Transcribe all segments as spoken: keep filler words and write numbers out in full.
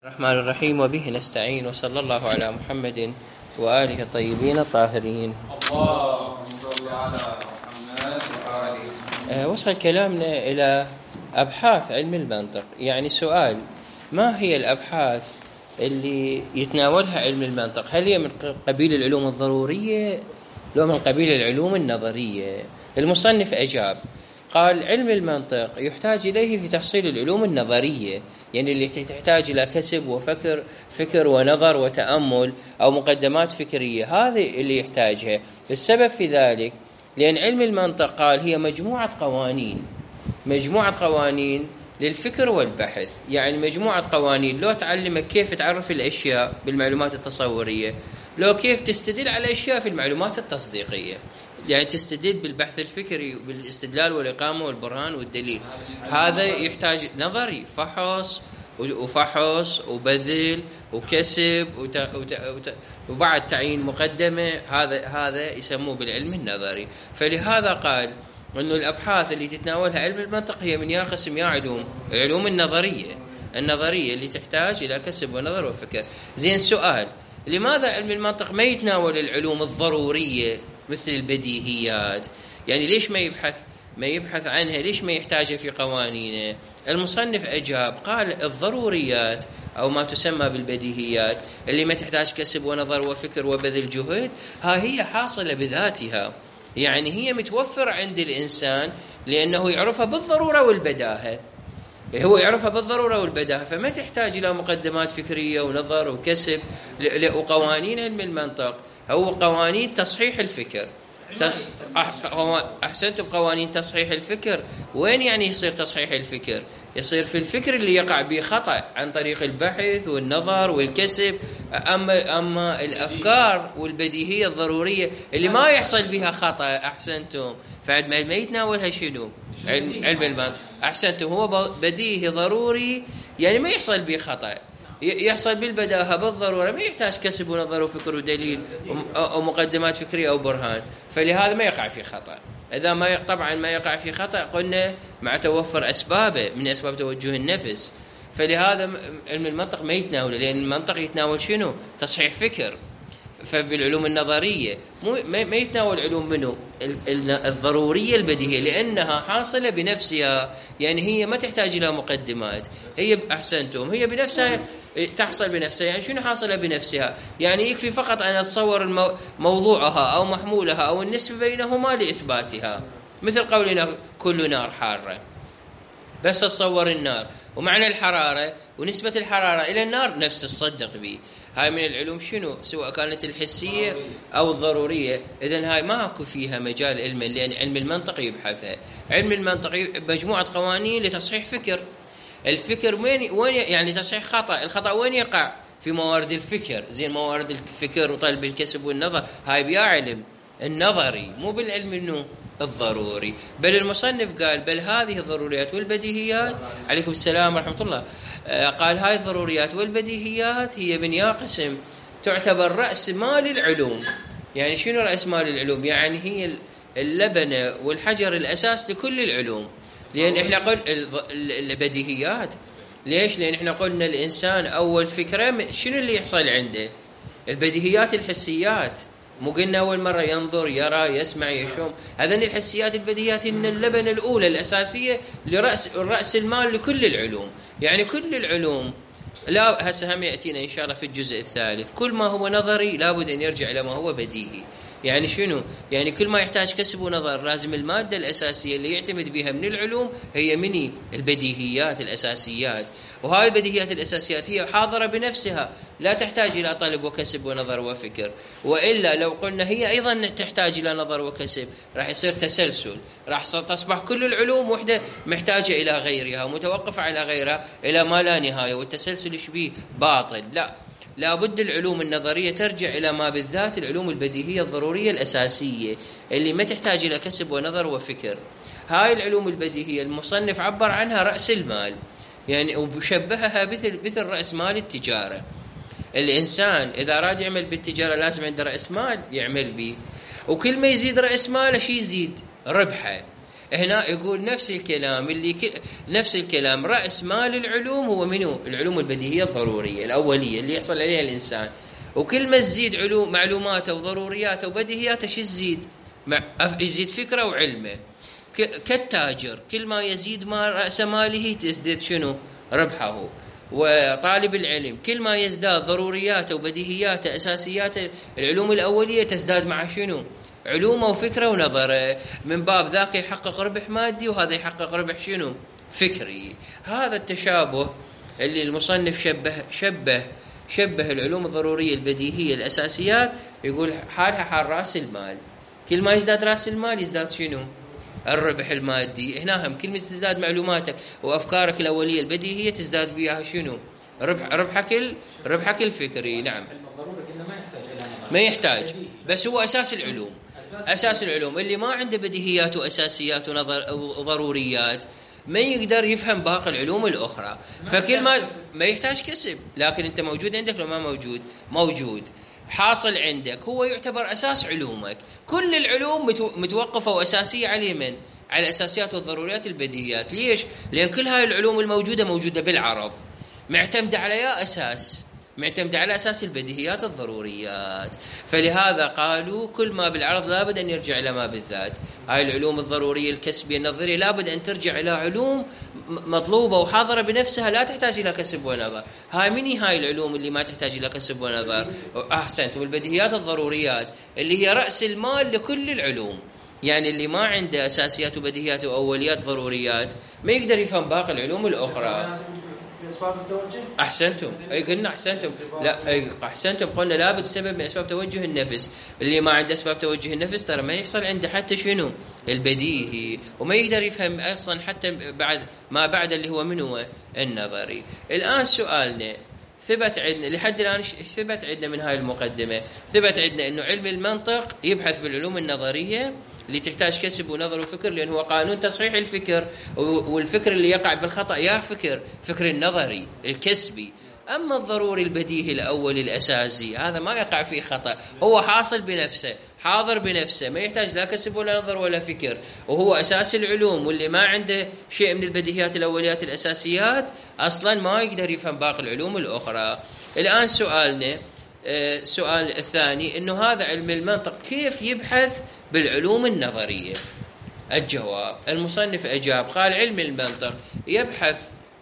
الرحمن الرحيم وبه نستعين وصلى الله على محمد وآله الطيبين الطاهرين. اللهم صل على محمد وآله. وصل كلامنا إلى أبحاث علم المنطق. يعني سؤال: ما هي الأبحاث اللي يتناولها علم المنطق؟ هل هي من قبيل العلوم الضرورية لو من قبيل العلوم النظرية؟ المصنف أجاب قال: علم المنطق يحتاج إليه في تحصيل العلوم النظرية، يعني اللي تحتاج إلى كسب وفكر فكر ونظر وتأمل أو مقدمات فكرية، هذه اللي يحتاجها. السبب في ذلك لأن علم المنطق قال هي مجموعة قوانين مجموعة قوانين للفكر والبحث. يعني مجموعة قوانين لو تعلمك كيف تعرف الأشياء بالمعلومات التصورية، لو كيف تستدل على الأشياء في المعلومات التصديقية، يعني تستدل بالبحث الفكري بالاستدلال والإقامة والبرهان والدليل. هذا يحتاج نظري، فحص وفحص وبذل وكسب وت... وت... وت... وبعد تعيين مقدمة. هذا هذا يسموه بالعلم النظري. فلهذا قال إنه الأبحاث اللي تتناولها علم المنطق هي من يا قسم يا علوم العلوم النظرية النظرية اللي تحتاج إلى كسب ونظر وفكر. زين، سؤال: لماذا علم المنطق ما يتناول العلوم الضرورية مثل البديهيات؟ يعني ليش ما يبحث ما يبحث عنها؟ ليش ما يحتاجها في قوانينه؟ المصنف أجاب قال: الضروريات أو ما تسمى بالبديهيات اللي ما تحتاج كسب ونظر وفكر وبذل جهد، ها هي حاصلة بذاتها، يعني هي متوفرة عند الإنسان لأنه يعرفها بالضرورة والبداهة. هو يعرفها بالضرورة والبداهة، فما تحتاج إلى مقدمات فكرية ونظر وكسب. وقوانين علم المنطق هو قوانين تصحيح الفكر. أحسنتم، قوانين تصحيح الفكر. وين يعني يصير تصحيح الفكر؟ يصير في الفكر اللي يقع به خطأ عن طريق البحث والنظر والكسب. أما أما الأفكار والبديهية الضرورية اللي ما يحصل بها خطأ، أحسنتم، فعد ما يتناولها شنو؟ علم, علم المنطق. أحسنتم، هو بديهي ضروري، يعني ما يحصل به خطأ، يحصل بالبداهة بالضرورة، ما يحتاج كسب ونظر وفكر ودليل أو مقدمات فكرية أو برهان، فلهذا ما يقع في خطأ. إذا ما ي... طبعا ما يقع في خطأ قلنا مع توفر أسبابه من أسباب توجه النفس. فلهذا علم المنطق ما يتناوله، لأن المنطق يتناول شنو؟ تصحيح فكر. فبالعلوم النظرية ما يتناول علوم منه الضرورية البديهية، لأنها حاصلة بنفسها، يعني هي ما تحتاج إلى مقدمات. هي أحسنتم، هي بنفسها تحصل بنفسها. يعني شنو حاصلة بنفسها؟ يعني يكفي فقط أن أتصور موضوعها أو محمولها أو النسبة بينهما لإثباتها، مثل قولنا كل نار حارة، بس أتصور النار ومعنى الحرارة ونسبة الحرارة إلى النار نفس الصدق به. هاي من العلوم شنو؟ سواء كانت الحسية أو الضرورية. إذن هاي ما أكو فيها مجال علم، لأن علم المنطق يبحثها. علم المنطق مجموعة قوانين لتصحيح فكر. الفكر وين وين يعني تصحيح خطأ. الخطأ وين يقع؟ في موارد الفكر. زين، موارد الفكر وطلب الكسب والنظر هاي بيا علم النظري، مو بالعلم إنه الضروري. بل المصنف قال بل هذه الضروريات والبديهيات، عليكم السلام ورحمة الله، قال هاي الضروريات والبديهيات هي من يا قسم تعتبر رأس مال العلوم. يعني شنو رأس مال العلوم؟ يعني هي اللبنة والحجر الأساس لكل العلوم. لأن إحنا قلنا البديهيات، ليش؟ لأن إحنا قلنا الإنسان أول فكرة شنو اللي يحصل عنده؟ البديهيات الحسيات. مو قلنا أول مرة ينظر يرى يسمع يشم؟ هذين الحسيات البديهيات إن اللبنة الأولى الأساسية لرأس الرأس المال لكل العلوم. يعني كل العلوم، لا هسه هم يأتينا إن شاء الله في الجزء الثالث، كل ما هو نظري لابد أن يرجع إلى ما هو بديهي. يعني شنو؟ يعني كل ما يحتاج كسب ونظر لازم المادة الأساسية اللي يعتمد بها من العلوم هي مني البديهيات الأساسيات. وهاي البديهيات الأساسيات هي حاضرة بنفسها، لا تحتاج إلى طلب وكسب ونظر وفكر. وإلا لو قلنا هي أيضا تحتاج إلى نظر وكسب راح يصير تسلسل، راح تصبح كل العلوم وحدة محتاجة إلى غيرها ومتوقفة على غيرها إلى ما لا نهاية، والتسلسل يشبيه باطل. لا، لابد العلوم النظرية ترجع إلى ما بالذات العلوم البديهية الضرورية الأساسية اللي ما تحتاج إلى كسب ونظر وفكر. هاي العلوم البديهية المصنف عبر عنها رأس المال، يعني وبشبهها مثل مثل رأس مال التجارة. الإنسان إذا أراد يعمل بالتجارة لازم عنده رأس مال يعمل به، وكل ما يزيد رأس ماله شي يزيد ربحه. هنا يقول نفس الكلام اللي ك... نفس الكلام رأس مال العلوم هو منو؟ العلوم البديهية الضرورية الأولية اللي يحصل عليها الإنسان. وكل ما تزيد علوم معلوماته وضرورياته وبديهياته شو تزيد؟ مع... يزيد فكرة وعلمه. ك... كالتاجر كل ما يزيد ما رأس ماله تزداد شنو؟ ربحه. وطالب العلم كل ما يزداد ضرورياته وبديهياته أساسياته العلوم الأولية تزداد مع شنو؟ علومه وفكره ونظره. من باب ذاك يحقق ربح مادي وهذا يحقق ربح شنو؟ فكري. هذا التشابه اللي المصنف شبه شبه شبه العلوم الضرورية البديهية الأساسيات، يقول حالها حال رأس المال. كل ما يزداد رأس المال يزداد شنو؟ الربح المادي. هنا هم كل ما تزداد معلوماتك وأفكارك الأولية البديهية تزداد بها شنو؟ ربح ربحك ربحك الفكري. نعم. الضروري قلنا ما يحتاج إلى نظر. ما يحتاج، بس هو أساس العلوم. أساس العلوم اللي ما عنده بديهيات وأساسيات ونظر وضروريات ما يقدر يفهم باقي العلوم الأخرى. فكل ما ما يحتاج كسب، لكن أنت موجود عندك لو ما موجود موجود حاصل عندك، هو يعتبر أساس علومك. كل العلوم متوقفة وأساسية على من؟ على الأساسيات والضروريات البديهيات. ليش؟ لأن كل هاي العلوم الموجودة موجودة بالعرض، معتمدة على يا أساس معتمدة على أساس البديهيات الضروريات. فلهذا قالوا كل ما بالعرض لابد أن يرجع إلى ما بالذات. هاي العلوم الضرورية الكسبية النظرية لابد أن ترجع إلى علوم مطلوبة وحاضرة بنفسها، لا تحتاج إلى كسب ونظر. هاي مني هاي العلوم اللي ما تحتاج إلى كسب ونظر. أحسنت. والبديهيات الضروريات اللي هي رأس المال لكل العلوم، يعني اللي ما عنده أساسيات وبديهيات وأوليات ضروريات ما يقدر يفهم باقي العلوم الأخرى. أسباب التوجه. أحسنتم. أي قلنا أحسنتم. لا أي أحسنتم. قلنا لابد سبب من أسباب توجه النفس. اللي ما عنده أسباب توجه النفس ترى ما يحصل عنده حتى شنو؟ البديهي، وما يقدر يفهم أصلا حتى بعد ما بعد اللي هو منه النظري. الآن سؤالنا ثبت عندنا لحد الآن ثبت عندنا من هاي المقدمة، ثبت عندنا إنه علم المنطق يبحث بالعلوم النظرية اللي تحتاج كسب ونظر وفكر، لأنه هو قانون تصحيح الفكر، والفكر اللي يقع بالخطأ يا فكر فكر النظري الكسبي. أما الضروري البديهي الأول الأساسي هذا ما يقع فيه خطأ، هو حاصل بنفسه حاضر بنفسه، ما يحتاج لا كسب ولا نظر ولا فكر، وهو أساس العلوم. واللي ما عنده شيء من البديهيات الأوليات الأساسيات أصلا ما يقدر يفهم باقي العلوم الأخرى. الآن سؤالنا السؤال الثاني إنه هذا علم المنطق كيف يبحث بالعلوم النظرية؟ الجواب المصنف أجاب قال علم المنطق يبحث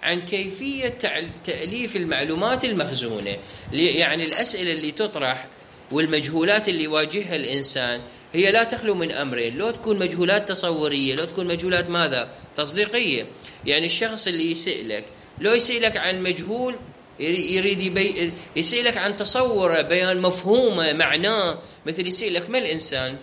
عن كيفية تأليف المعلومات المخزونة، يعني الأسئلة اللي تطرح والمجهولات اللي يواجهها الإنسان هي لا تخلو من أمرين، لو تكون مجهولات تصورية لو تكون مجهولات ماذا؟ تصديقية. يعني الشخص اللي يسألك لو يسألك عن مجهول يريد يبي يسألك عن تصور بيان مفهومه معناه، مثل يسألك ما الإنسان،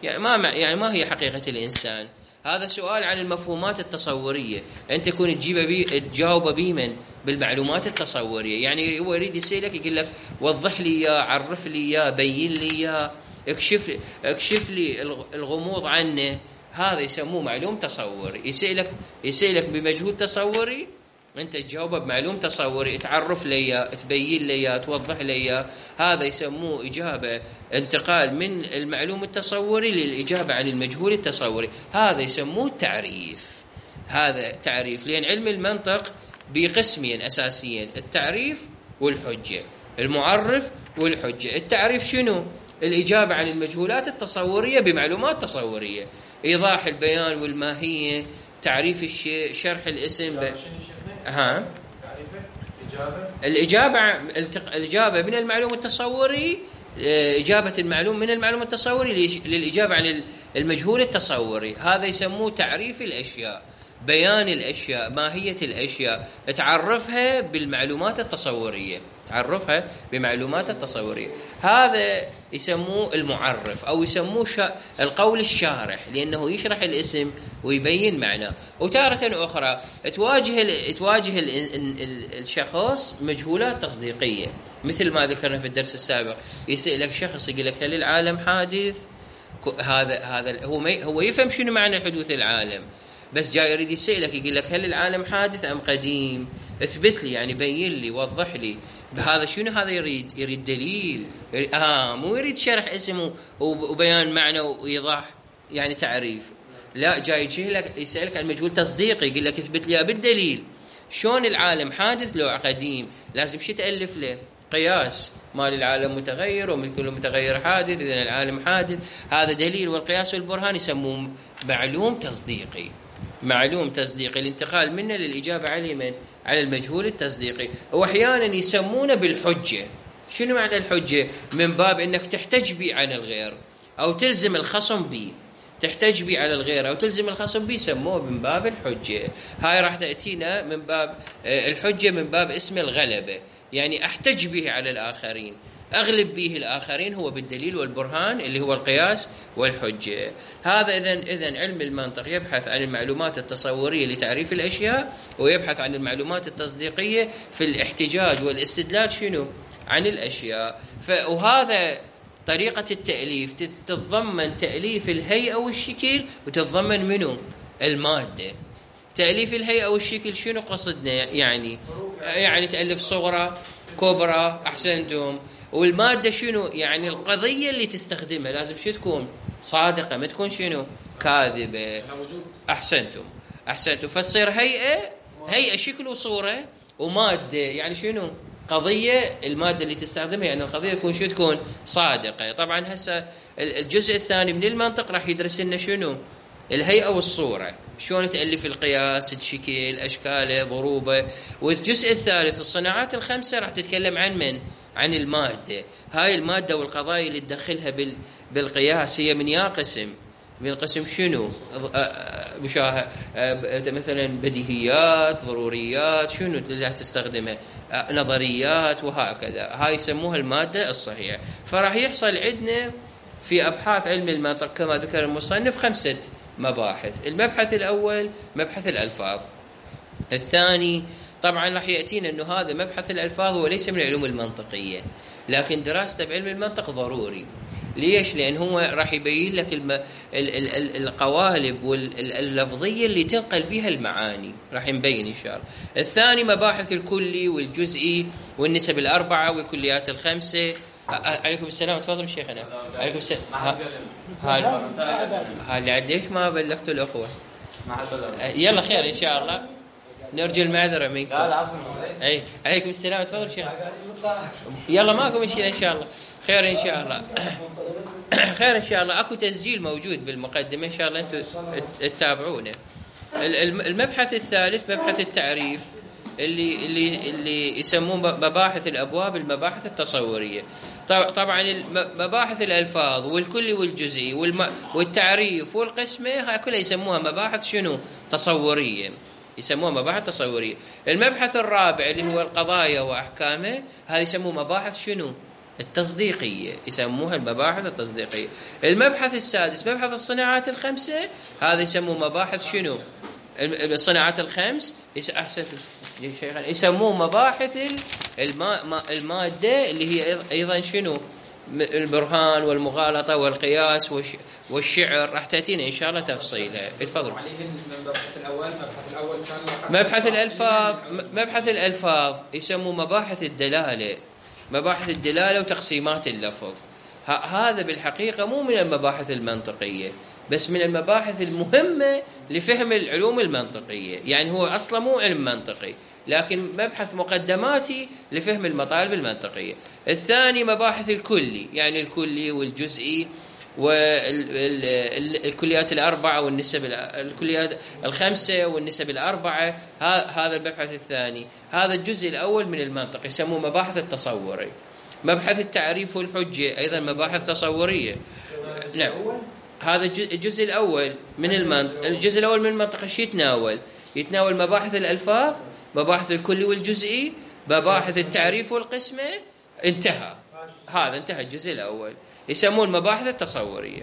يعني ما يعني ما هي حقيقة الإنسان؟ هذا سؤال عن المفهومات التصورية، أنت تكون تجيب بي تجاوب بيه من بالمعلومات التصورية. يعني هو يريد يسألك يقول لك وضح لي يا عرف لي يا بين لي يا اكشف لي اكشف لي الغموض عنه، هذا يسموه معلوم تصوري. يسألك يسألك بمجهول تصوري أنت تجاوبه بمعلوم تصوري، تعرف لي تبين لي توضح لي، هذا يسموه إجابة انتقال من المعلوم التصوري للإجابة عن المجهول التصوري، هذا يسموه تعريف. هذا تعريف، لأن علم المنطق بقسمين أساسيين، التعريف والحجة، المعرف والحجة. التعريف شنو؟ الإجابة عن المجهولات التصورية بمعلومات تصورية، إيضاح البيان والماهية، تعريف الشيء، شرح الاسم ب... ها الإجابة الإجابة من المعلوم التصوري، إجابة المعلوم من المعلوم التصوري للإجابة عن المجهول التصوري، هذا يسموه تعريف الأشياء، بيان الأشياء، ماهية الأشياء، تعرفها بالمعلومات التصورية، تعرفها بمعلومات التصورية. هذا يسموه المعرف أو يسموه شا... القول الشارح، لأنه يشرح الاسم ويبين معناه. وتارة أخرى تواجه ال... تواجه ال... ال... الشخص مجهولات تصديقية، مثل ما ذكرنا في الدرس السابق. يسألك شخص يقول لك هل العالم حادث؟ هذا هذا هو ما... هو يفهم شنو معنى حدوث العالم، بس جاي يريد يسألك يقول لك هل العالم حادث أم قديم؟ اثبت لي، يعني بين لي، وضح لي. بهذا شنو هذا يريد؟ يريد دليل، يريد آه مو يريد شرح اسمه وبيان معنى وإيضاح يعني تعريف. لا، جاي يجيلك يسألك عن مجهول تصديقي، يقول لك اثبت لي بالدليل. شلون العالم حادث لو قديم؟ لازم شو تألف له؟ قياس. مال العالم متغير ومن كل متغير حادث، إذن العالم حادث. هذا دليل، والقياس والبرهان يسموه معلوم تصديقي. معلوم تصديقي، الانتقال منه للإجابة عليه من على المجهول التصديقي. وأحيانا يسمونه بالحجة. شنو معنى الحجة؟ من باب أنك تحتج به عن الغير أو تلزم الخصم به. تحتج به على الغير أو تلزم الخصم به، يسموه من باب الحجة. هاي راح تأتينا من باب الحجة، من باب اسم الغلبة، يعني أحتج به على الآخرين، أغلب به الآخرين، هو بالدليل والبرهان اللي هو القياس والحجة. هذا إذن إذن علم المنطق يبحث عن المعلومات التصورية لتعريف الأشياء، ويبحث عن المعلومات التصديقية في الاحتجاج والاستدلال شنو عن الأشياء. وهذا طريقة التأليف تتضمن تأليف الهيئة والشكل، وتتضمن منه المادة. تأليف الهيئة والشكل شنو قصدنا؟ يعني يعني تألف صغرى كبرى، أحسنتم. والمادة شنو؟ يعني القضية اللي تستخدمها لازم شو تكون؟ صادقة، ما تكون شنو؟ كاذبة. أحسنتم أحسنتم. فتصير هيئة هيئة شكل وصورة ومادة، يعني شنو؟ قضية. المادة اللي تستخدمها يعني القضية تكون شو؟ تكون صادقة. طبعا هسه الجزء الثاني من المنطق راح يدرس لنا شنو؟ الهيئة والصورة، شلون تألف القياس، الشكل، أشكاله، ضروبه. والجزء الثالث الصناعات الخمسة راح تتكلم عن من؟ عن المادة. هاي المادة والقضايا اللي تدخلها بال بالقياس هي من يا قسم؟ من قسم شنو؟ مشاهد مثلا بديهيات، ضروريات، شنو اللي تستخدمها؟ نظريات، وهكذا. هاي يسموها المادة الصحيحة. فراح يحصل عندنا في أبحاث علم المنطق كما ذكر المصنف خمسة مباحث. المبحث الأول مبحث الألفاظ. الثاني طبعا راح يأتينا أنه هذا مبحث الألفاظ هو ليس من العلوم المنطقية، لكن دراسته بعلم المنطق ضروري. ليش؟ لأن هو راح يبين لك الم... ال... ال... القوالب واللفظية اللي تنقل بها المعاني، راح نبين إن شاء الله. الثاني مباحث الكلي والجزئي والنسب الأربعة والكليات الخمسة. عليكم السلام، تفضل شيخنا. عليكم السلام. هذا هذا ليش ما بلغتوا الأخوة؟ يلا خير إن شاء الله، نرجو المعذرة منكم. لا لا عفوا. أي عليكم السلام، تفضل شيخ. يلا ماكو مشكلة إن شاء الله، خير إن شاء الله. خير إن شاء الله. أكو تسجيل موجود بالمقدمة إن شاء الله أنتم تتابعونه. المبحث الثالث مبحث التعريف، اللي اللي اللي يسموه مباحث الأبواب، المباحث التصورية. طبعا مباحث الألفاظ والكلي والجزئي والتعريف والقسمة، هاي كلها يسموها مباحث شنو؟ تصورية، يسموها مباحث تصورية. المبحث الرابع اللي هو القضايا وأحكامه، هذا يسموه مباحث شنو؟ التصديقية، يسموها المباحث التصديقية. المبحث السادس مبحث الصناعات الخمسة، هذا يسموه مباحث شنو؟ الصناعات الخمس. أحسن يسموه مباحث الما المادة، اللي هي أيضا شنو؟ البرهان والمغالطة والقياس والشعر. راح تأتينا إن شاء الله تفصيلها. اتفضل. المبحث الأول المبحث الأول مبحث الألفاظ. مبحث الألفاظ يسموه مباحث الدلالة، مباحث الدلالة وتقسيمات اللفظ. هذا بالحقيقة مو من المباحث المنطقية، بس من المباحث المهمة لفهم العلوم المنطقية. يعني هو أصلا مو علم منطقي، لكن مبحث مقدماتي لفهم المطالب المنطقية. الثاني مباحث الكلي، يعني الكلي والجزئي والكليات الأربعة والنسب الكليات الخمسة والنسب الأربعة. هذا المبحث الثاني. هذا الجزء الأول من المنطق يسموه مباحث التصوري. مبحث التعريف والحجة أيضا مباحث تصورية. نعم، هذا الجزء الأول من المنطق. الجزء الأول من المنطق ايش يتناول؟ يتناول مباحث الألفاظ، مباحث الكلي والجزئي، مباحث التعريف والقسمة. انتهى، هذا انتهى الجزء الأول، يسمون المباحث التصورية.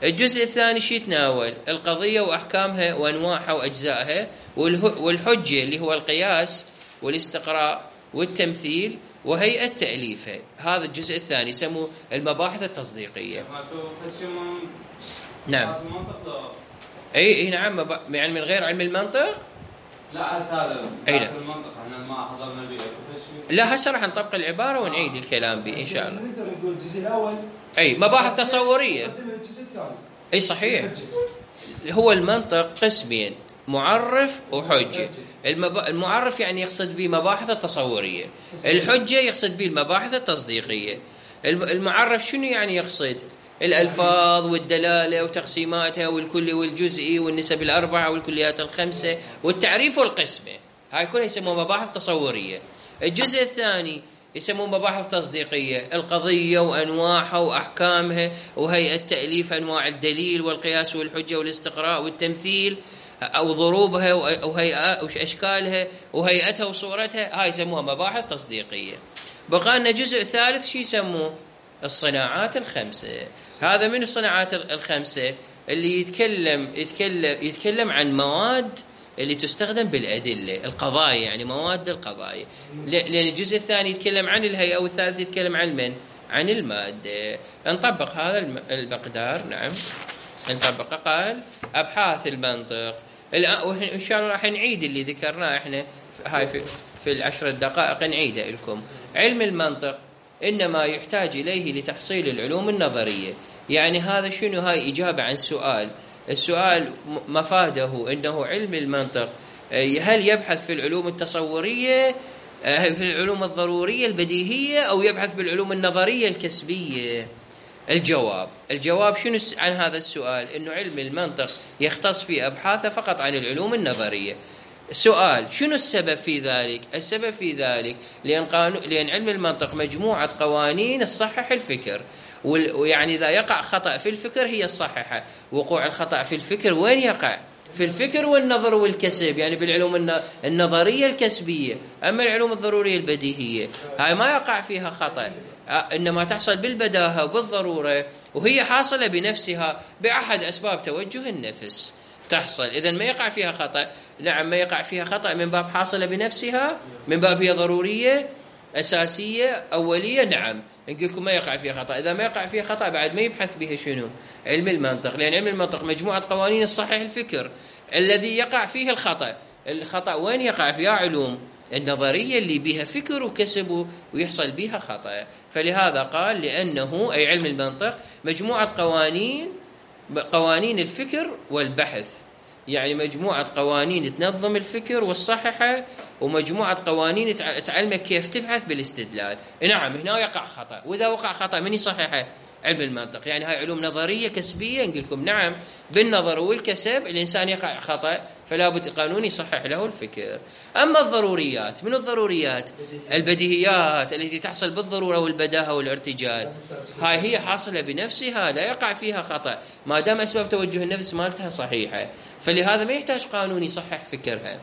الجزء الثاني شي يتناول؟ القضية وأحكامها وأنواعها وأجزائها، والحجة اللي هو القياس والاستقراء والتمثيل وهيئة تأليفها. هذا الجزء الثاني يسموه المباحث التصديقية. نعم. اي اي نعم، يعني من غير علم المنطق. لا هذا اي لا المنطق احنا ما حضرنا به. لا هسه راح نطبق العبارة ونعيد الكلام به ان شاء الله. نقدر نقول الجزء الاول اي مباحث تصورية. الجزء الثاني. اي صحيح. هو المنطق قسمين، معرف وحجة. المب... المعرف يعني يقصد به مباحث التصورية، الحجة يقصد به المباحث التصديقية. المعرف شنو يعني يقصد؟ الألفاظ والدلالة وتقسيماتها والكلي والجزئي والنسب الأربعة والكليات الخمسة والتعريف والقسمة، هاي كلها يسموها مباحث تصورية. الجزء الثاني يسموه مباحث تصديقية، القضية وأنواعها وأحكامها وهيئة تأليف أنواع الدليل والقياس والحجة والاستقراء والتمثيل أو ضروبها وهيئة وأشكالها وهيئتها وصورتها، هاي يسموها مباحث تصديقية. بقى لنا جزء ثالث شي يسموه الصناعات الخمسة. هذا من الصناعات الخمسة اللي يتكلم يتكلم يتكلم عن مواد اللي تستخدم بالأدلة، القضايا يعني مواد القضايا، لأن الجزء الثاني يتكلم عن الهيئة والثالث يتكلم عن من؟ عن المادة. نطبق هذا المقدار. نعم نطبق. قال أبحاث المنطق. إن شاء الله راح نعيد اللي ذكرناه إحنا هاي في, في العشر دقائق نعيده لكم. علم المنطق إنما يحتاج إليه لتحصيل العلوم النظرية. يعني هذا شنو؟ هاي إجابة عن سؤال. السؤال مفاده أنه علم المنطق هل يبحث في العلوم التصورية في العلوم الضرورية البديهية أو يبحث بالعلوم النظرية الكسبية؟ الجواب الجواب شنو عن هذا السؤال؟ إنه علم المنطق يختص في أبحاثه فقط عن العلوم النظرية. سؤال شنو السبب في ذلك؟ السبب في ذلك لأن, قانون لأن علم المنطق مجموعة قوانين تصحح الفكر، ويعني إذا يقع خطأ في الفكر هي الصححة. وقوع الخطأ في الفكر وين يقع؟ في الفكر والنظر والكسب، يعني بالعلوم النظرية الكسبية. أما العلوم الضرورية البديهية هاي ما يقع فيها خطأ، إنما تحصل بالبداهة وبالضرورة، وهي حاصلة بنفسها بأحد أسباب توجه النفس تحصل. إذن ما يقع فيها خطأ. نعم ما يقع فيها خطأ من باب حاصلة بنفسها، من باب هي ضرورية أساسية أولية. نعم نقول لكم ما يقع فيها خطأ. إذا ما يقع فيها خطأ بعد ما يبحث بها شنو؟ علم المنطق، لأن علم المنطق مجموعة قوانين تصحح الفكر. الذي يقع فيه الخطأ، الخطأ وين يقع فيها؟ علوم النظرية اللي بها فكر وكسب ويحصل بها خطأ. فلهذا قال لأنه أي علم المنطق مجموعة قوانين قوانين الفكر والبحث، يعني مجموعة قوانين تنظم الفكر والصححة، ومجموعة قوانين تعلمك كيف تبحث بالاستدلال. نعم هنا يقع خطأ، وإذا وقع خطأ من يصححه؟ علم المنطق. يعني هاي علوم نظرية كسبية نقول لكم نعم بالنظر والكسب الإنسان يقع خطأ فلا بد قانون يصحح له الفكر. أما الضروريات، من الضروريات؟ البديهيات التي تحصل بالضرورة والبداهة والارتجال، هاي هي حاصلة بنفسها لا يقع فيها خطأ ما دام أسباب توجه النفس مالتها صحيحة، فلهذا ما يحتاج قانون يصحح فكرها.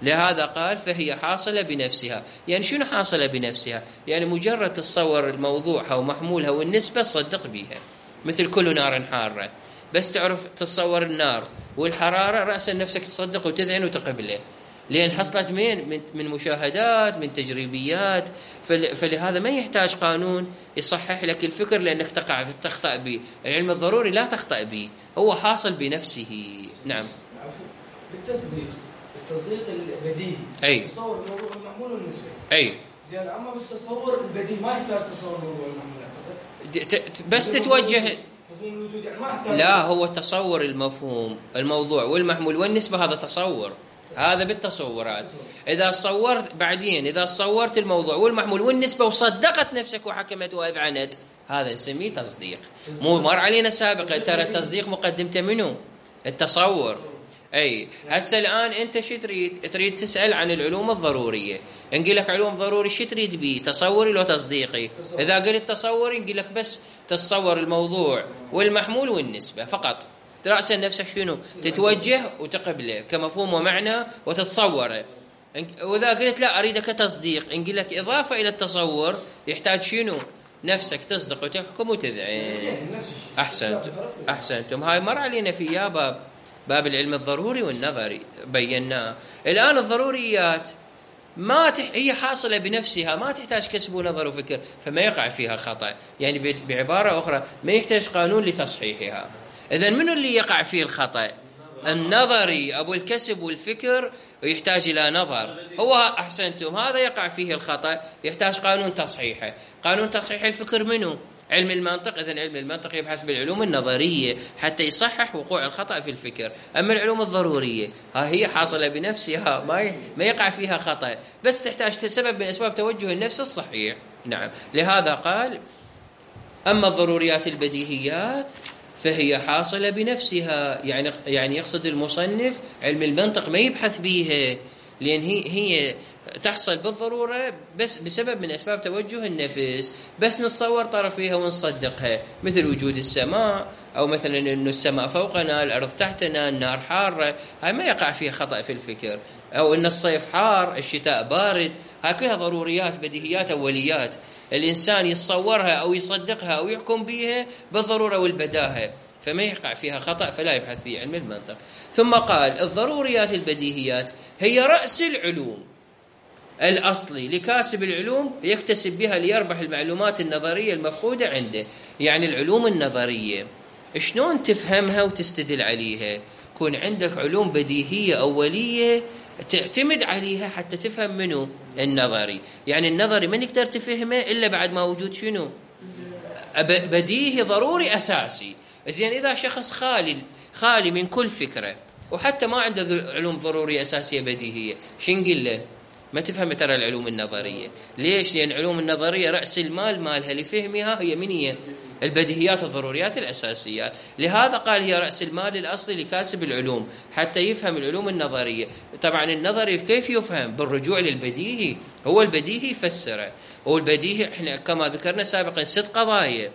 لهذا قال فهي حاصلة بنفسها. يعني شنو حاصلة بنفسها؟ يعني مجرد تصور الموضوعها ومحمولها والنسبة تصدق بها، مثل كل نار حارة، بس تعرف تتصور النار والحرارة رأسا نفسك تصدق وتذعن وتقبله، لأن حصلت من من مشاهدات من تجريبيات. فلهذا ما يحتاج قانون يصحح لك الفكر لأنك تقع تخطأ به. العلم الضروري لا تخطأ به، هو حاصل بنفسه. نعم بالتصديق التصديق البديهي أي تصور الموضوع المحمول والنسبة. أي زين. أما بالتصور البديهي ما يحتاج تصور الموضوع المحمول أعتقد، بس تتوجه مفهوم الوجود يعني ما يحتاج. لا هو تصور المفهوم الموضوع والمحمول والنسبة هذا تصور، هذا بالتصورات. إذا صورت بعدين إذا صورت الموضوع والمحمول والنسبة وصدقت نفسك وحكمت وأذعنت هذا نسميه تصديق. مو مر علينا سابقا ترى التصديق مقدمته منه التصور. أي هسه الآن أنت شو تريد؟ تريد تسأل عن العلوم الضرورية، نقول لك علوم ضروري شو تريد بيه؟ تصوري لو تصديقي؟ إذا قلت تصوري نقول لك بس تتصور الموضوع والمحمول والنسبة فقط، رأسا نفسك شنو؟ تتوجه وتقبله كمفهوم ومعنى وتتصوره. وإذا قلت لا أريدك تصديق نقول لك إضافة إلى التصور يحتاج شنو؟ نفسك تصدق وتحكم وتذعن. أحسنتم أحسنتم هاي مر علينا في يا باب باب العلم الضروري والنظري بيناه. الآن الضروريات ما تح... هي حاصلة بنفسها ما تحتاج كسب ونظر وفكر، فما يقع فيها خطأ. يعني بعبارة أخرى ما يحتاج قانون لتصحيحها. إذن منو اللي يقع فيه الخطأ؟ النظري أبو الكسب والفكر، ويحتاج إلى نظر. هو أحسنتم هذا يقع فيه الخطأ، يحتاج قانون تصحيحه. قانون تصحيح الفكر منو؟ علم المنطق، إذن علم المنطق يبحث بالعلوم النظرية حتى يصحح وقوع الخطأ في الفكر. أما العلوم الضرورية ها هي حاصلة بنفسها، ما ما يقع فيها خطأ، بس تحتاج سبب من أسباب توجه النفس الصحيح. نعم، لهذا قال: أما الضروريات البديهيات فهي حاصلة بنفسها. يعني يعني يقصد المصنف علم المنطق ما يبحث بيها، لأن هي هي تحصل بالضرورة بس بسبب من أسباب توجه النفس، بس نتصور طرفيها ونصدقها، مثل وجود السماء، أو مثلا أن السماء فوقنا، الأرض تحتنا، النار حارة، هاي ما يقع فيها خطأ في الفكر. أو أن الصيف حار، الشتاء بارد، هاي كلها ضروريات بديهيات أوليات الإنسان يتصورها أو يصدقها أو يحكم بها بالضرورة والبداهة، فما يقع فيها خطأ، فلا يبحث في علم المنطق. ثم قال: الضروريات البديهيات هي رأس العلوم الأصلي لكاسب العلوم يكتسب بها ليربح المعلومات النظرية المفقودة عنده. يعني العلوم النظرية شلون تفهمها وتستدل عليها؟ يكون عندك علوم بديهية أولية تعتمد عليها حتى تفهم منه النظري. يعني النظري ما نقدر تفهمه إلا بعد ما وجود شنو؟ بديهي ضروري أساسي. زين، إذا شخص خالي خالي من كل فكرة وحتى ما عنده علوم ضرورية أساسية بديهية، شو نقول له؟ ما تفهم ترى العلوم النظرية. ليش؟ لأن العلوم النظرية رأس المال مالها لفهمها هي من هي؟ البديهيات الضروريات الأساسيات. لهذا قال هي رأس المال الأصلي لكاسب العلوم حتى يفهم العلوم النظرية. طبعا النظري كيف يفهم؟ بالرجوع للبديهي، هو البديهي يفسره. والبديهي احنا كما ذكرنا سابقا ست قضايا: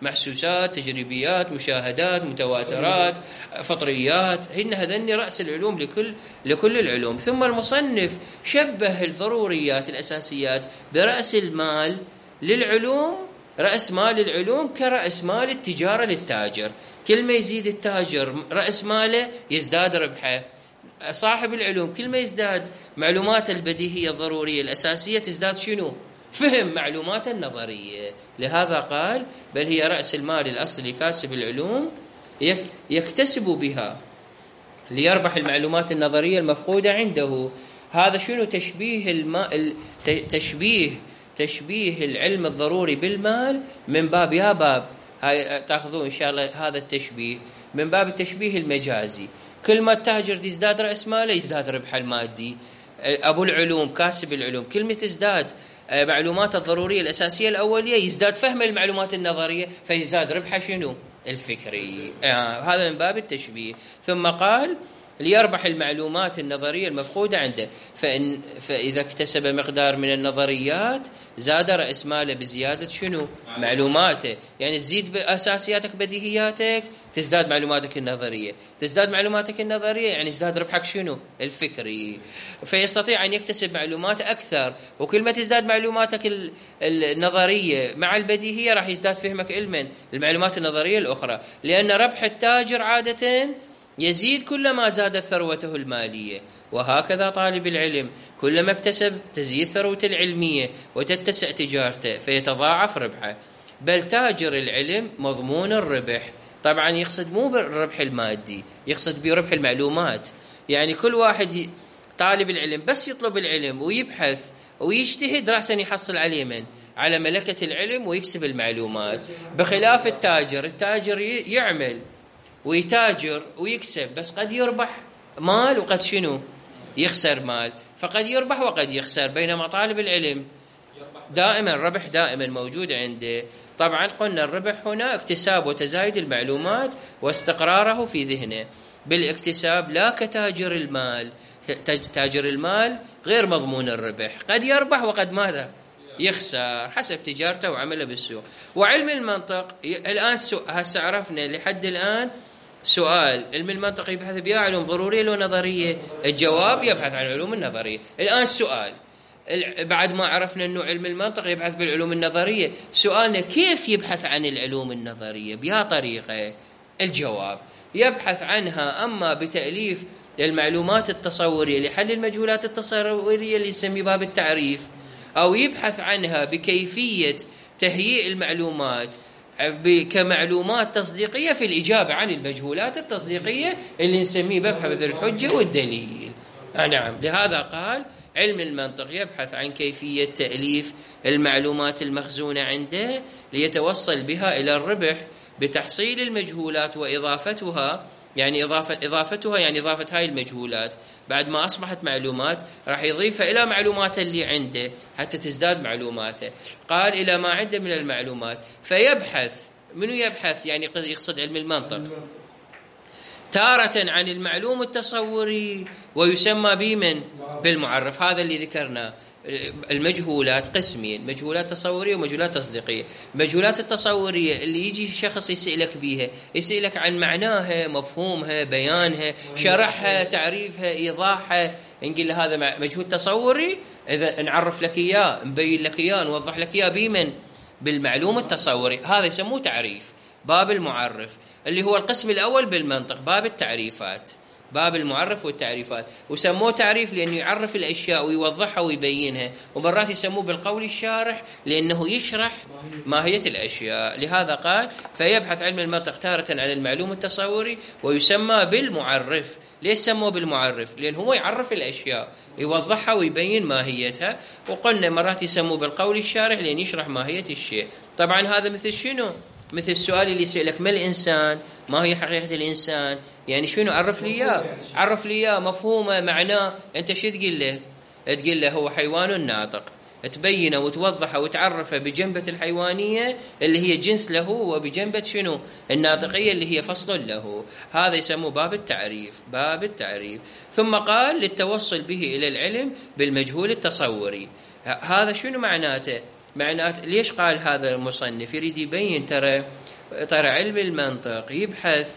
محسوسات، تجريبيات، مشاهدات، متواترات، فطريات، هن هذني رأس العلوم لكل لكل العلوم. ثم المصنف شبه الضروريات الأساسيات برأس المال للعلوم، رأس مال العلوم كرأس مال التجارة للتاجر. كل ما يزيد التاجر رأس ماله يزداد ربحه. صاحب العلوم كل ما يزداد معلومات البديهية الضرورية الأساسية تزداد شنو؟ فهم معلومات النظرية. لهذا قال: بل هي رأس المال الأصلي كاسب العلوم يكتسب بها ليربح المعلومات النظرية المفقودة عنده. هذا شنو؟ تشبيه الماء، تشبيه تشبيه العلم الضروري بالمال من باب، يا باب هاي تاخذون إن شاء الله هذا التشبيه من باب التشبيه المجازي. كل ما التاجر يزداد رأس ماله يزداد ربحه المادي. أبو العلوم كاسب العلوم كل ما تزداد معلومات الضرورية الأساسية الأولية يزداد فهم المعلومات النظرية، فيزداد ربحه شنو؟ الفكري. آه هذا من باب التشبيه. ثم قال: ليربح المعلومات النظرية المفقودة عنده. فإن فإذا اكتسب مقدار من النظريات زاد رأس ماله بزيادة شنو؟ معلوماته. يعني تزيد بأساسياتك بديهياتك تزداد معلوماتك النظرية، تزداد معلوماتك النظرية يعني يزداد ربحك شنو؟ الفكري. فيستطيع أن يكتسب معلومات أكثر، وكل ما تزداد معلوماتك النظرية مع البديهية راح يزداد فهمك علما المعلومات النظرية الأخرى. لأن ربح التاجر عادة يزيد كلما زادت ثروته المالية، وهكذا طالب العلم كلما اكتسب تزيد ثروته العلمية وتتسع تجارته فيتضاعف ربحه. بل تاجر العلم مضمون الربح. طبعا يقصد مو بالربح المادي، يقصد بربح المعلومات. يعني كل واحد طالب العلم بس يطلب العلم ويبحث ويجتهد رأسا يحصل عليه من على ملكة العلم ويكسب المعلومات. بخلاف التاجر، التاجر يعمل ويتاجر ويكسب، بس قد يربح مال وقد شنو؟ يخسر مال. فقد يربح وقد يخسر. بينما طالب العلم دائما ربح دائما موجود عنده. طبعا قلنا الربح هنا اكتساب وتزايد المعلومات واستقراره في ذهنه بالاكتساب، لا كتاجر المال. تاجر المال غير مضمون الربح، قد يربح وقد ماذا؟ يخسر حسب تجارته وعمله بالسوق. وعلم المنطق الآن هسه عرفنا لحد الآن سؤال: علم المنطق يبحث بها علوم ضرورية لو نظرية؟ الجواب: يبحث عن العلوم النظرية. الآن السؤال بعد ما عرفنا أنه علم المنطق يبحث بالعلوم النظرية، سؤالنا كيف يبحث عن العلوم النظرية؟ بها طريقة. الجواب: يبحث عنها أما بتأليف المعلومات التصورية لحل المجهولات التصورية اللي يسمي باب التعريف، أو يبحث عنها بكيفية تهيئ المعلومات كمعلومات تصديقية في الإجابة عن المجهولات التصديقية اللي نسميه مبحث الحجة والدليل. آه نعم. لهذا قال علم المنطق يبحث عن كيفية تأليف المعلومات المخزونة عنده ليتوصل بها إلى الربح بتحصيل المجهولات وإضافتها، يعني إضافة إضافتها يعني إضافة هاي المجهولات بعد ما أصبحت معلومات راح يضيفها إلى معلومات اللي عنده حتى تزداد معلوماته. قال إلى ما عنده من المعلومات، فيبحث. منو يبحث؟ يعني يقصد علم المنطق. تارة عن المعلوم التصوري ويسمى بمن؟ بالمعرف. هذا اللي ذكرناه. المجهولات قسمين، مجهولات تصورية ومجهولات تصديقية. المجهولات التصورية اللي يجي شخص يسألك بيها، يسألك عن معناها، مفهومها، بيانها، شرحها، تعريفها، إيضاحها، نقول له هذا مجهول تصوري، إذا نعرف لك إياه، نبين لك إياه، نوضح لك إياه بمن؟ بالمعلوم التصوري. هذا يسموه تعريف. باب المعرف اللي هو القسم الأول بالمنطق، باب التعريفات، باب المعرف والتعريفات. وسموه تعريف لأنه يعرف الأشياء ويوضحها ويبينها، ومرات يسموه بالقول الشارح لأنه يشرح ماهية الأشياء. لهذا قال فيبحث علم المنطق تارة عن المعلوم التصوري ويسمى بالمعرف. ليش سموه بالمعرف؟ لأنه هو يعرف الأشياء، يوضحها ويبين ماهيتها. وقلنا مرات يسموه بالقول الشارح لأن يشرح ماهية الشيء. طبعا هذا مثل شنو؟ مثل السؤال اللي يسألك ما الإنسان؟ ما هي حقيقة الإنسان؟ يعني شنو؟ عرف لي إياه، عرف لي إياه، مفهومه، معناه. أنت شو تقول له؟ تقول له هو حيوان ناطق، تبينه وتوضحه وتعرفه بجنبة الحيوانية اللي هي جنس له، وبجنبة شنو؟ الناطقية اللي هي فصل له. هذا يسموه باب التعريف، باب التعريف. ثم قال للتوصل به إلى العلم بالمجهول التصوري. هذا شنو معناته؟ معناته ليش قال هذا المصنف؟ يريد يبين ترى ترى علم المنطق يبحث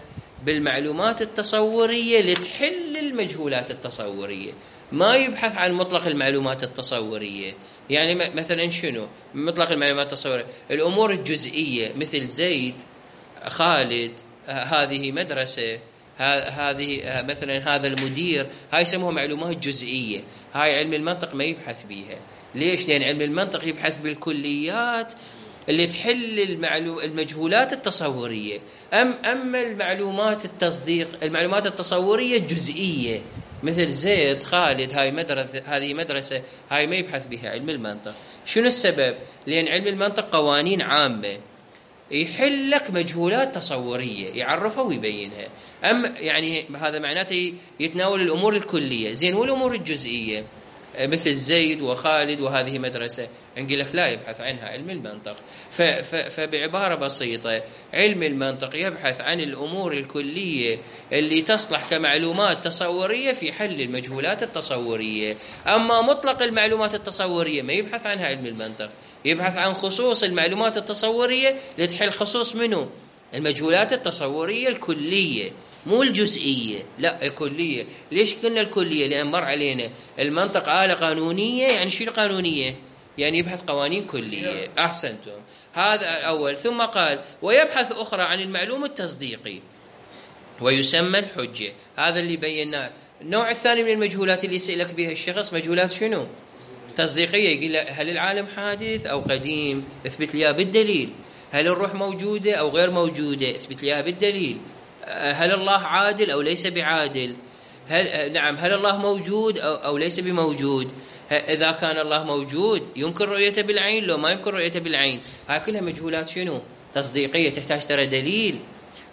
بالمعلومات التصورية لتحل المجهولات التصورية، ما يبحث عن مطلق المعلومات التصورية. يعني مثلا شنو مطلق المعلومات التصورية؟ الأمور الجزئية مثل زيد، خالد، هذه مدرسة، هذه مثلا هذا المدير، هاي يسموها معلومات جزئية. هاي علم المنطق ما يبحث بيها. ليش؟ لأن علم المنطق يبحث بالكليات اللي تحل المعلو... المجهولات التصورية. أم أما المعلومات التصديق، المعلومات التصورية الجزئية مثل زيد، خالد، هاي مدرسة، هذه مدرسة، هاي ما يبحث بها علم المنطق. شنو السبب؟ لأن علم المنطق قوانين عامة يحل لك مجهولات تصورية، يعرفها ويبينها. أم يعني هذا معناته يتناول الأمور الكلية. زين، والأمور الجزئية مثل زيد وخالد وهذه مدرسة، نقول لك لا يبحث عنها علم المنطق. فبعبارة بسيطة علم المنطق يبحث عن الأمور الكلية اللي تصلح كمعلومات تصورية في حل المجهولات التصورية. أما مطلق المعلومات التصورية ما يبحث عنها علم المنطق، يبحث عن خصوص المعلومات التصورية لتحل خصوص منه؟ المجهولات التصورية الكلية، مو الجزئية، لا الكلية. ليش قلنا الكلية؟ لأن مر علينا المنطق آلة قانونية. يعني شو القانونية؟ يعني يبحث قوانين كلية. أحسنتم، هذا أول. ثم قال ويبحث أخرى عن المعلوم التصديقي ويسمى الحجة. هذا اللي بيناه. النوع الثاني من المجهولات اللي يسألك بها الشخص مجهولات شنو؟ تصديقية. يقول له هل العالم حادث أو قديم؟ اثبت لي بالدليل. هل الروح موجودة أو غير موجودة؟ اثبت لي بالدليل. هل الله عادل أو ليس بعادل؟ هل نعم هل الله موجود أو, أو ليس بموجود؟ إذا كان الله موجود يمكن رؤيته بالعين لو ما يمكن رؤيته بالعين؟ هاي كلها مجهولات شنو؟ تصديقية، تحتاج ترى دليل.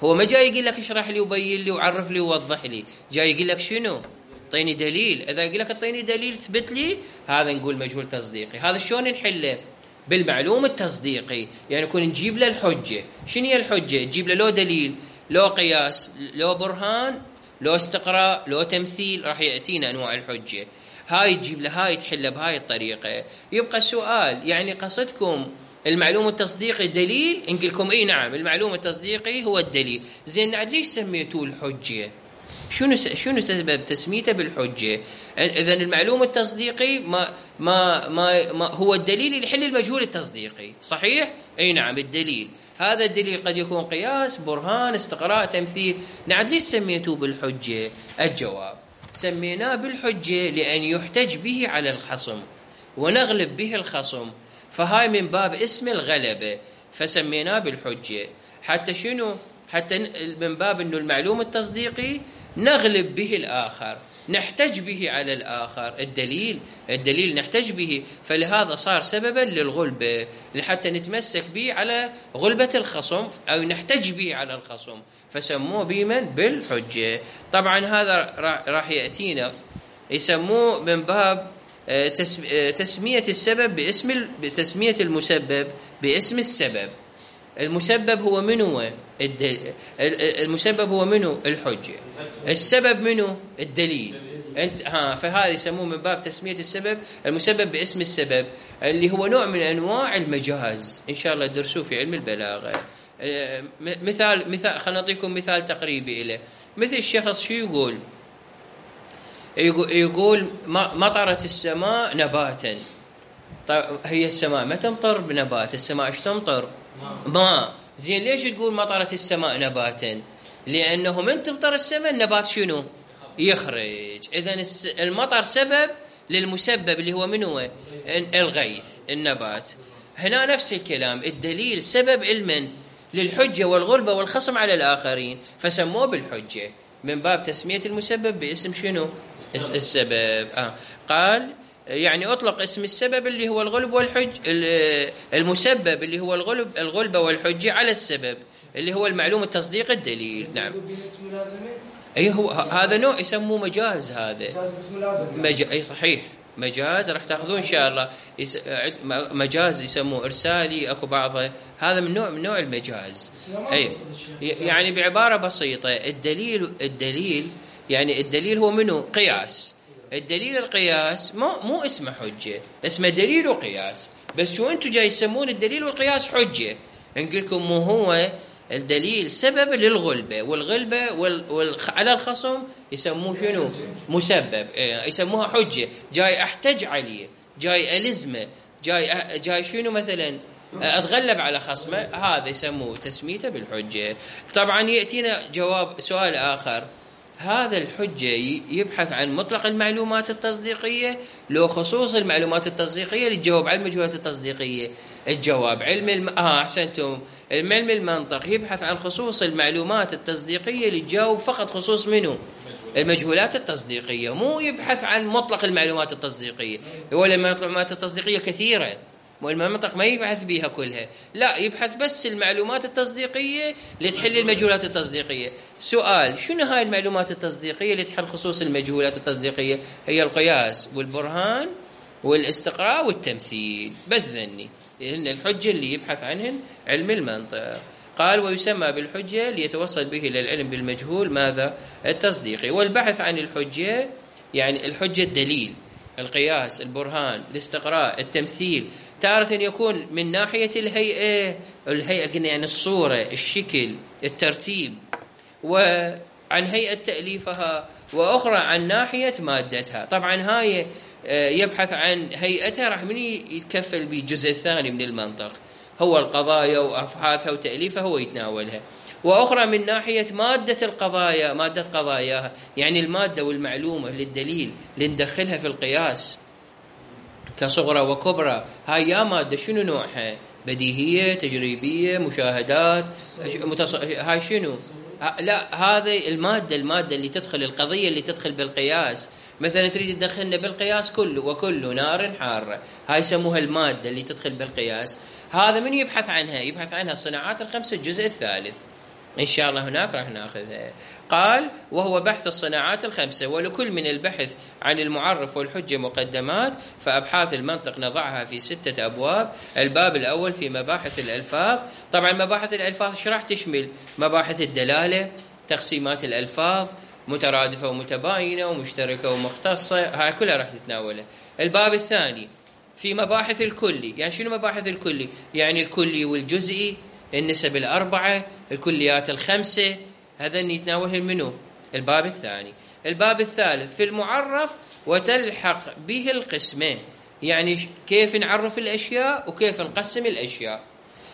هو ما جاي يقول لك اشرح لي وبين لي وعرف لي ووضح لي، جاي يقول لك شنو؟ اعطيني دليل. إذا يقول لك اعطيني دليل ثبت لي، هذا نقول مجهول تصديقي. هذا شلون نحله؟ بالمعلوم التصديقي. يعني نكون نجيب له الحجة. شنو هي الحجة؟ تجيب له لو دليل، لو قياس، لو برهان، لو استقراء، لو تمثيل، راح يأتينا أنواع الحجة. هاي تجيب له، هاي تحله بهاي الطريقة. يبقى السؤال يعني قصدكم المعلوم التصديقي دليل؟ نقول لكم اي نعم المعلوم التصديقي هو الدليل. زين عاد ليش سميتوه الحجة؟ شنو شنو سبب تسميته بالحجة؟ إذا المعلوم التصديقي ما ما ما, ما هو الدليل اللي يحل المجهول التصديقي، صحيح؟ اي نعم الدليل. هذا الدليل قد يكون قياس، برهان، استقراء، تمثيل. نعم ليش سميتوه بالحجة؟ الجواب سميناه بالحجة لأن يحتج به على الخصم ونغلب به الخصم، فهاي من باب اسم الغلبة، فسميناه بالحجة. حتى شنو؟ حتى من باب انه المعلوم التصديقي نغلب به الآخر. نحتج به على الآخر. الدليل الدليل نحتج به، فلهذا صار سببا للغلبة، لحتى نتمسك به على غلبة الخصم أو نحتج به على الخصم، فسموه بمن؟ بالحجة. طبعا هذا راح يأتينا يسموه من باب تسمية السبب باسم تسمية المسبب باسم السبب. المسبب هو منو؟ المسبب هو منو؟ الحجة. السبب منو؟ الدليل. انت ها فهذا يسموه من باب تسمية السبب المسبب باسم السبب، اللي هو نوع من انواع المجاز، ان شاء الله تدرسوه في علم البلاغة. مثال مثال خلينا نعطيكم مثال تقريبي له. مثل الشخص شو يقول؟ يقول مطرت السماء نباتا. طيب هي السماء ما تمطر بنبات، السماء ايش تمطر؟ ماء. زين ليش تقول مطرت السماء نباتا؟ لانه من تمطر السماء النبات شنو؟ يخرج. اذا المطر سبب للمسبب اللي هو منو؟ الغيث، النبات. هنا نفس الكلام، الدليل سبب المن؟ للحجة والغلبة والخصم على الآخرين، فسموه بالحجة من باب تسمية المسبب باسم شنو؟ السبب. آه. قال يعني أطلق اسم السبب اللي هو الغلب والحج، المسبب اللي هو الغلب الغلبة والحجة على السبب اللي هو المعلوم التصديق الدليل. نعم. أي هو هذا نوع يسموه مجاز. هذا مج... أي صحيح مجاز، راح تاخذون ان شاء الله. يس... مجاز يسموه ارسالي، اكو بعضه. هذا من نوع من نوع المجاز. اي يعني بعباره بسيطه، الدليل الدليل يعني الدليل هو منه؟ قياس. الدليل القياس مو مو اسمه حجه، اسمه دليل وقياس. بس شو انتم جاي تسمون الدليل والقياس حجه؟ نقول لكم مو هو الدليل سبب للغلبة، والغلبة وال... وال... على الخصم يسموه شنو؟ مسبب. يسموها حجة. جاي أحتج عليه، جاي ألزمه، جاي أ... جاي شنو مثلا أتغلب على خصمه، هذا يسموه تسميته بالحجة. طبعا يأتينا جواب سؤال آخر، هذا الحجة يبحث عن مطلق المعلومات التصديقية لو خصوص المعلومات التصديقية للجواب على المجهولات التصديقية؟ الجواب علم الم... آه أحسنتم. علم المنطق يبحث عن خصوص المعلومات التصديقية للجواب فقط خصوص منه؟ المجهولات التصديقية. مو يبحث عن مطلق المعلومات التصديقية، ولا المعلومات التصديقية كثيرة، والمنطق ما يبحث بيها كلها، لا يبحث بس المعلومات التصديقية لتحل المجهولات التصديقية. سؤال، شنو هاي المعلومات التصديقية اللي تحل خصوص المجهولات التصديقية؟ هي القياس والبرهان والاستقراء والتمثيل. بس ذني إن الحجة اللي يبحث عنهن علم المنطق. قال ويسمى بالحجة ليتوصل به إلى العلم بالمجهول ماذا؟ التصديقي. والبحث عن الحجة يعني الحجة الدليل، القياس، البرهان، الاستقراء، التمثيل. تارة يكون من ناحية الهيئة، الهيئة قلنا يعني الصورة، الشكل، الترتيب، وعن هيئة تأليفها، وأخرى عن ناحية مادتها. طبعا هاي يبحث عن هيئتها راح من يتكفل بالجزء الثاني من المنطق، هو القضايا وأبحاثها وتأليفها هو يتناولها. وأخرى من ناحية مادة القضايا، مادة قضاياها يعني المادة والمعلومة للدليل اللي ندخلها في القياس كصغرى وكبرى. هاي يا مادة شنو نوعها؟ بديهية، تجريبية، مشاهدات، متص... هاي شنو؟ لا هذه المادة المادة اللي تدخل، القضية اللي تدخل بالقياس. مثلا تريد تدخلنا بالقياس كله وكل نار حارة، هاي يسموها المادة اللي تدخل بالقياس. هذا من يبحث عنها؟ يبحث عنها الصناعات الخمسة الجزء الثالث إن شاء الله، هناك راح ناخذها. قال وهو بحث الصناعات الخمسة، ولكل من البحث عن المعرف والحجة مقدمات، فأبحاث المنطق نضعها في ستة أبواب. الباب الأول في مباحث الألفاظ. طبعا مباحث الألفاظ ايش راح تشمل؟ مباحث الدلالة، تقسيمات الألفاظ، مترادفة ومتباينة ومشتركة ومختصة، هاي كلها راح تتناولها. الباب الثاني في مباحث الكلي. يعني شنو مباحث الكلي؟ يعني الكلي والجزئي، النسب الأربعة، الكليات الخمسة، هذا يتناولها منه الباب الثاني. الباب الثالث في المعرف وتلحق به القسمة، يعني كيف نعرف الأشياء وكيف نقسم الأشياء.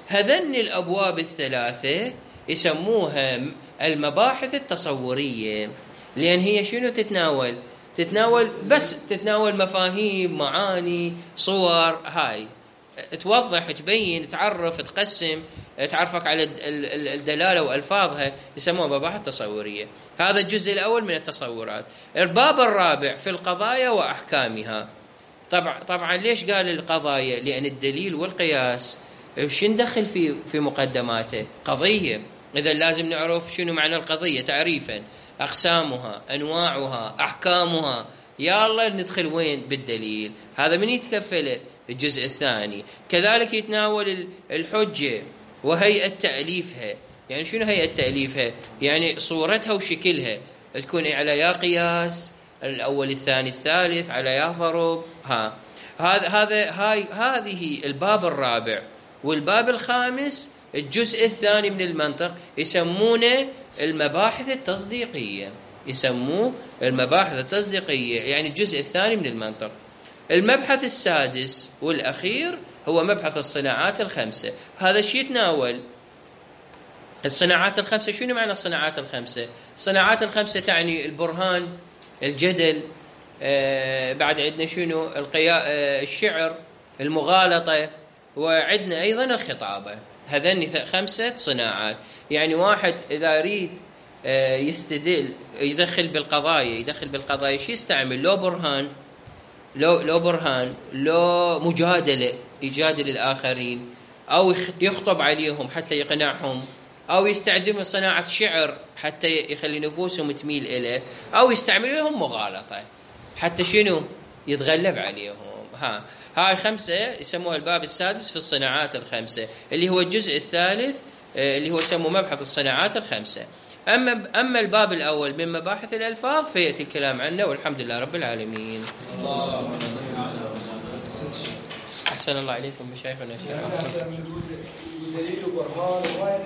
هذن الأبواب الثلاثة يسموها المباحث التصورية، لأن هي شنو تتناول؟ تتناول بس تتناول مفاهيم، معاني، صور، هاي توضح، تبين، تعرف، تقسم. تعرفك على الدلالة وألفاظها، يسموها مباحث تصورية. هذا الجزء الأول من التصورات. الباب الرابع في القضايا وأحكامها. طبعا طبعا ليش قال القضايا؟ لأن الدليل والقياس شو ندخل في في مقدماته؟ قضية، إذا لازم نعرف شنو معنى القضية تعريفا، أقسامها، أنواعها، أحكامها. يا الله ندخل وين؟ بالدليل. هذا من يتكفله؟ الجزء الثاني. كذلك يتناول الحجة وهيئة تأليفها. يعني شنو هيئة تأليفها؟ يعني صورتها وشكلها، تكون على يا قياس الأول الثاني الثالث، على يا ضرب. ها هذا هذا هاي هذه الباب الرابع. والباب الخامس الجزء الثاني من المنطق يسمونه المباحث التصديقية، يسموه المباحث التصديقية، يعني الجزء الثاني من المنطق. المبحث السادس والأخير هو مبحث الصناعات الخمسة. هذا الشيء يتناول الصناعات الخمسة. شنو معنى الصناعات الخمسة؟ الصناعات الخمسة تعني البرهان، الجدل، آه بعد عندنا شنو القيا آه الشعر، المغالطة، وعندنا أيضا الخطابة. هذين خمسة صناعات. يعني واحد إذا يريد آه يستدل يدخل بالقضايا يدخل بالقضايا شو يستعمل؟ لو برهان، لو لو برهان، لو مجادلة يجادل الآخرين، أو يخطب عليهم حتى يقنعهم، أو يستخدم صناعة شعر حتى يخلي نفوسهم تميل إليه، أو يستعمل لهم مغالطة حتى شنو؟ يتغلب عليهم. ها هاي خمسة يسموها الباب السادس في الصناعات الخمسة، اللي هو الجزء الثالث اللي هو يسموه مبحث الصناعات الخمسة. أما أما الباب الأول من مباحث الألفاظ فيأتي الكلام عنه، والحمد لله رب العالمين. أحسن الله عليكم مشايخنا.